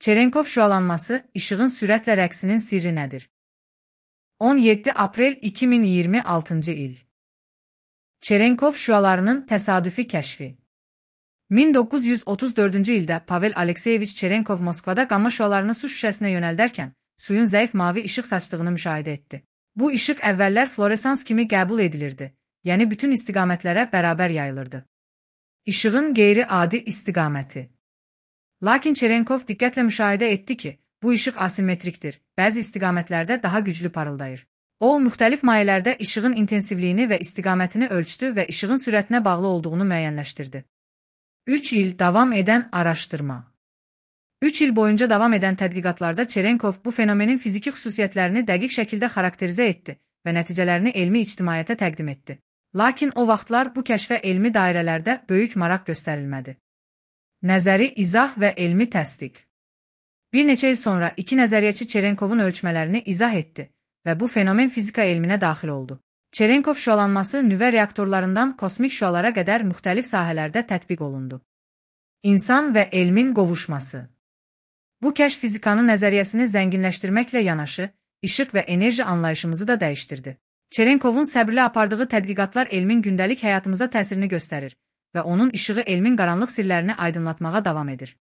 Çerenkov şüalanması, işığın sürətlə rəqsinin sirri nədir? 17 aprel 2026 il. Çerenkov şüalarının təsadüfi kəşfi. 1934-cü ildə Pavel Alekseyeviç Çerenkov Moskvada qamma şüalarını su şüşəsinə yönəldərkən suyun zəif mavi işıq saçdığını müşahidə etdi. Bu işıq əvvəllər floresans kimi qəbul edilirdi, yəni bütün istiqamətlərə bərabər yayılırdı. İşığın qeyri-adi istiqaməti. Lakin Çerenkov diqqətlə müşahidə etdi ki, bu işıq asimetrikdir, bəzi istiqamətlərdə daha güclü parıldayır. O, müxtəlif mayələrdə işığın intensivliyini və istiqamətini ölçdü və işığın sürətinə bağlı olduğunu müəyyənləşdirdi. 3 il davam edən araşdırma. 3 il boyunca davam edən tədqiqatlarda Çerenkov bu fenomenin fiziki xüsusiyyətlərini dəqiq şəkildə xarakterizə etdi və nəticələrini elmi ictimaiyyətə təqdim etdi. Lakin o vaxtlar bu kəşfə elmi dairələrdə böyük maraq göstərilmədi. Nəzəri izah və elmi təsdiq. Bir neçə il sonra iki nəzəriyyəçi Çerenkovun ölçmələrini izah etdi və bu fenomen fizika elminə daxil oldu. Çerenkov şüalanması nüvə reaktorlarından kosmik şüalara qədər müxtəlif sahələrdə tətbiq olundu. İnsan və elmin qovuşması. Bu kəşf fizikanın nəzəriyyəsini zənginləşdirməklə yanaşı, işıq və enerji anlayışımızı da dəyişdirdi. Çerenkovun səbirli apardığı tədqiqatlar elmin gündəlik həyatımıza təsirini göstərir və onun işığı elmin qaranlıq sirlərini aydınlatmağa davam edir.